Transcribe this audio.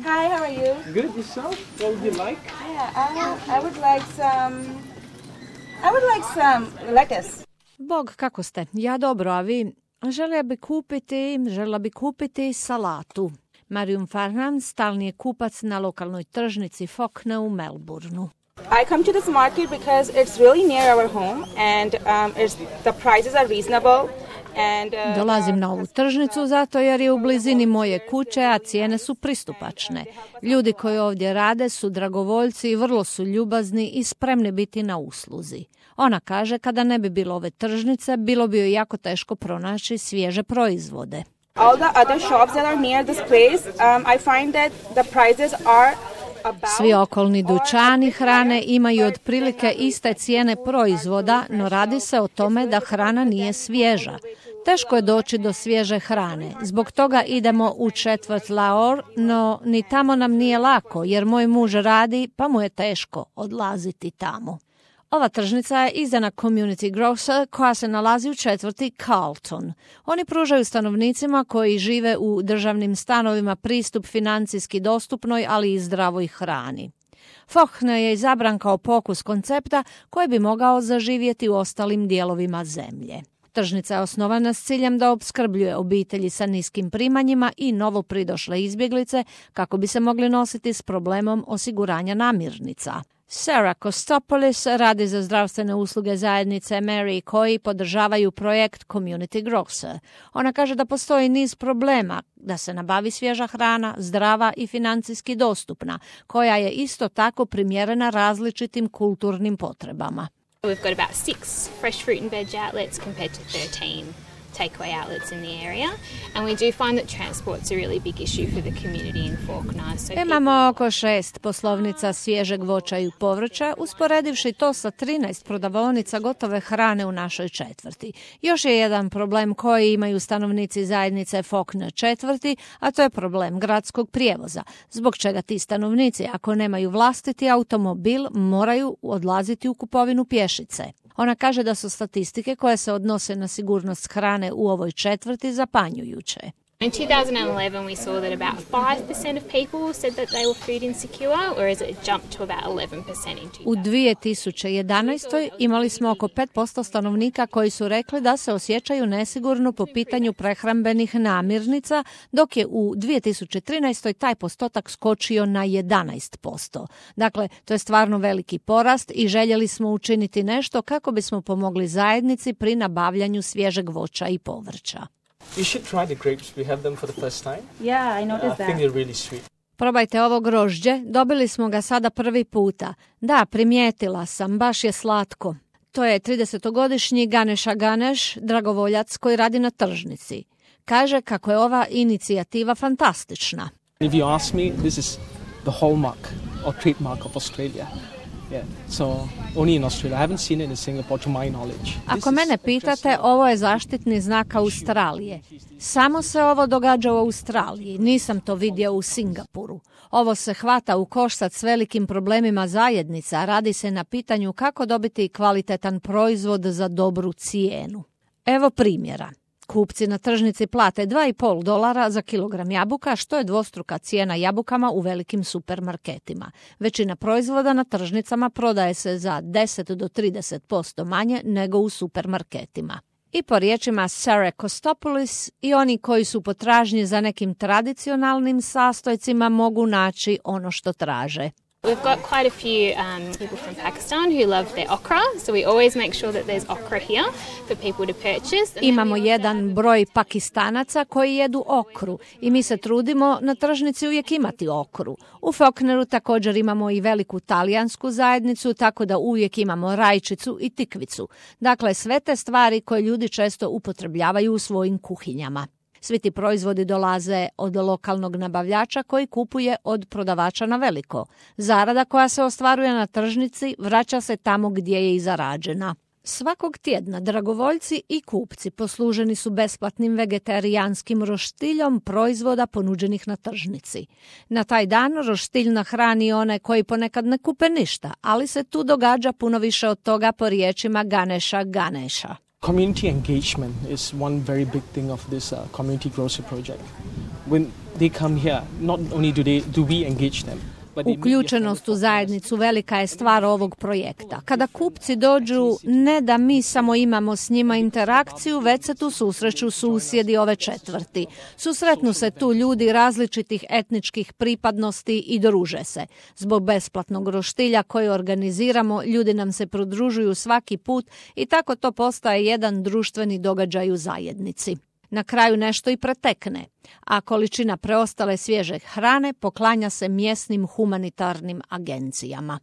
Hi, how are you? Good, yourself? What would you like? Yeah, I would like some lettuce. Bog, kako ste? Ja dobro, a vi? Željela bi kupiti salatu. Marium Farhan stalni je kupac na lokalnoj tržnici Fokne u Melbourneu. I come to this market because it's really near our home and the prices are reasonable. Dolazim na ovu tržnicu zato jer je u blizini moje kuće, a cijene su pristupačne. Ljudi koji ovdje rade su dragovoljci i vrlo su ljubazni i spremni biti na usluzi. Ona kaže kada ne bi bilo ove tržnice, bilo bi joj jako teško pronaći svježe proizvode. All the other shops that are near this place, I find that the prices are Svi okolni dućani hrane imaju otprilike iste cijene proizvoda, no radi se o tome da hrana nije svježa. Teško je doći do svježe hrane. Zbog toga idemo u četvrt Lahore, no ni tamo nam nije lako jer moj muž radi pa mu je teško odlaziti tamo. Ova tržnica je izdana Community Grocer koja se nalazi u četvrti Carlton. Oni pružaju stanovnicima koji žive u državnim stanovima pristup financijski dostupnoj, ali i zdravoj hrani. Fokne je izabran kao pokus koncepta koji bi mogao zaživjeti u ostalim dijelovima zemlje. Tržnica je osnovana s ciljem da opskrbljuje obitelji sa niskim primanjima i novopridošle izbjeglice kako bi se mogli nositi s problemom osiguranja namirnica. Sarah Kostopoulos radi za zdravstvene usluge zajednice Mary koji podržavaju projekt Community Grocer. Ona kaže da postoji niz problema, da se nabavi svježa hrana, zdrava i financijski dostupna, koja je isto tako primjerena različitim kulturnim potrebama. We've got about 6 fresh fruit and veg outlets compared to 13 takeaway outlets in the area, and we do find that transport's a really big issue for the community in Fawkner. Imamo oko 6 poslovnica svježeg voća i povrća, usporedivši to sa 13 prodavaonica gotove hrane u našoj četvrti. Još je jedan problem koji imaju stanovnici zajednice Fawkner četvrti, a to je problem gradskog prijevoza, zbog čega ti stanovnici, ako nemaju vlastiti automobil, moraju odlaziti u kupovinu pješice. Ona kaže da su statistike koje se odnose na sigurnost hrane u ovoj četvrti zapanjujuće. In 2011 we saw that about 5% of people said that they were food insecure, whereas it jumped to about 11% in 2000. U 2011. imali smo oko 5% stanovnika koji su rekli da se osjećaju nesigurno po pitanju prehrambenih namirnica, dok je u 2013. taj postotak skočio na 11%. Dakle, to je stvarno veliki porast i željeli smo učiniti nešto kako bismo pomogli zajednici pri nabavljanju svježeg voća i povrća. You should try the grapes. We have them for the first time. Yeah, I noticed I think they're really sweet. Probajte ovo grožđe, dobili smo ga sada prvi puta. Da, primijetila sam, baš je slatko. To je 30-godišnji Ganesha Ganesh, dragovoljac koji radi na tržnici. Kaže kako je ova inicijativa fantastična. If you ask me, this is the hallmark or trademark of Australia. Yeah. So only in Australia. I haven't seen it in Singapore to my knowledge. Ako mene pitate, ovo je zaštitni znak Australije. Samo se ovo događa u Australiji, nisam to vidio u Singapuru. Ovo se hvata u koštac s velikim problemima zajednica, radi se na pitanju kako dobiti kvalitetan proizvod za dobru cijenu. Evo primjera. Kupci na tržnici plate $2,5 za kilogram jabuka, što je dvostruka cijena jabukama u velikim supermarketima. Većina proizvoda na tržnicama prodaje se za 10 do 30% manje nego u supermarketima. I po riječima Sarah Kostopoulos, i oni koji su potražnji za nekim tradicionalnim sastojcima mogu naći ono što traže. We've got quite a few people from Pakistan who love their okra, so we always make sure that there's okra here for people to purchase. Imamo jedan broj Pakistanaca koji jedu okru i mi se trudimo na tržnici uvijek imati okru. U Fawkneru također imamo i veliku talijansku zajednicu, tako da uvijek imamo rajčicu i tikvicu. Dakle, sve te stvari koje ljudi često upotrebljavaju u svojim kuhinjama. Svi ti proizvodi dolaze od lokalnog nabavljača koji kupuje od prodavača na veliko. Zarada koja se ostvaruje na tržnici vraća se tamo gdje je i zarađena. Svakog tjedna dragovoljci i kupci posluženi su besplatnim vegetarijanskim roštiljom proizvoda ponuđenih na tržnici. Na taj dan roštilj nahrani one koji ponekad ne kupe ništa, ali se tu događa puno više od toga po riječima Ganesha Ganesha. Community engagement is one very big thing of this community grocery project. When they come here, not only do we engage them. Uključenost u zajednicu velika je stvar ovog projekta. Kada kupci dođu, ne da mi samo imamo s njima interakciju, već se tu susreću susjedi ove četvrti. Susretnu se tu ljudi različitih etničkih pripadnosti i druže se. Zbog besplatnog roštilja koji organiziramo, ljudi nam se pridružuju svaki put i tako to postaje jedan društveni događaj u zajednici. Na kraju nešto i pretekne, a količina preostale svježe hrane poklanja se mjesnim humanitarnim agencijama.